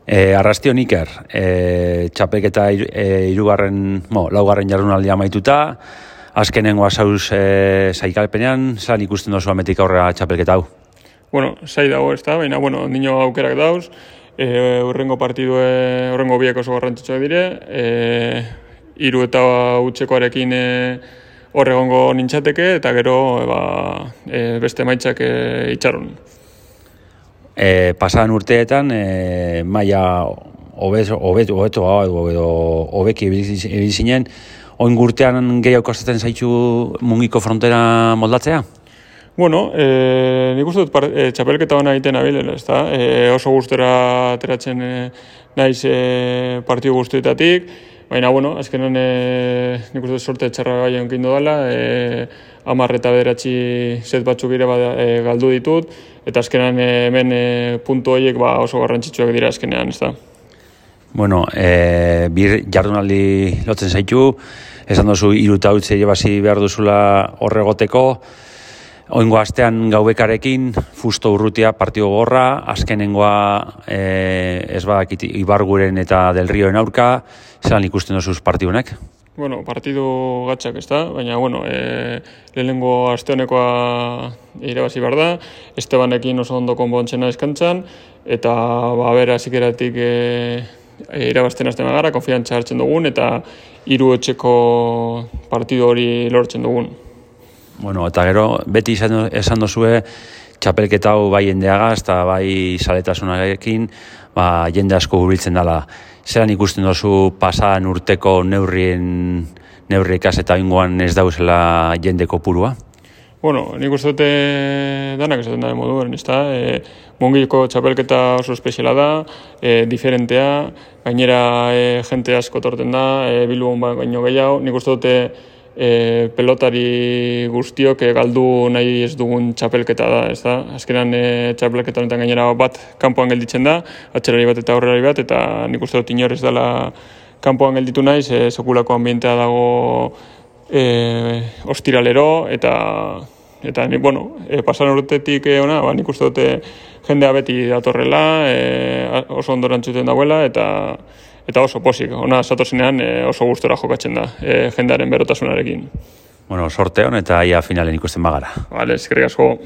Arrastion Iker, txapelketa laugarren jardunaldia amaituta, azkenengoa zauz zaikalpenean, zelan ikusten dozu ametik aurrera txapelketa hau? Bueno, zai dago ez da, baina, nino aukerak dauz, urrengo partidue, urrengo biek oso garrantzitsuak dire, 3 eta utzekoarekin horregongo nintzateke, eta gero beste emaitzak itxaron. Pasadan urteetan, maila hobeki ibili zinen, oin gurtean gehiago kostatzen zaitu mungiko frontera moldatzea? Nik uste dut txapelketa hona egiten abilela, ez da? Oso gustora ateratzen naiz partidu guztietatik, baina, azkenan nik uste dut sorte txarra gai onkindu dela, 10 eta 9 set batzuk ere galdu ditut, eta azkenan hemen puntu horiek oso garrantzitsuak dira azkenean, ez da? Bir jardunaldi lotzen zaitu, esan duzu 3 eta utzi basi behar duzula horregoteko, oingo astean gaubekarekin, fusto urrutia partido gorra, azkenengoa ez badakit Ibarguren eta Del Rioen aurka, zelan ikusten duzuz partidunek? Partidu gatxak ez da, baina, lehenengo aste honekoa irabazi behar da, Estebanekin oso ondo konpontzena eskantzan, eta azikeratik irabazten azten gara, konfiantza hartzen dugun, eta 3 etxeko partidu hori lortzen dugun. Eta gero, beti esan dozue, txapelketa hau bai jendeagaz, eta bai saletasunarekin, jende asko hurbiltzen dela. Zeran ikusten dozu pasadan urteko neurriekaz eta ingoan ez dauzela jende kopurua? Nik uste dute danak esaten da moduen, ez da? Mungiko txapelketa oso espeziala da, diferentea, gainera jente asko torten da, Bilbon baino gehiago, nik uste dute pelotari guztiok galdu nahi ez dugun txapelketa da, ez da? Azkenan txapelketa honetan gainera bat kanpoan gelditzen da, atxerari bat eta aurrelari bat, eta nik uste dut inor ez dela kanpoan gelditu naiz, sekulako ambientea dago ostiralero, eta pasan urtetik ona, nik uste dut jendea beti datorrela, oso ondorantzuten dagoela, eta oso pozik, ona zatozenean oso gustora jokatzen da, jendearen berotasunarekin. Sorte hon eta ia finalen ikusten bagara. Eskerrik asko.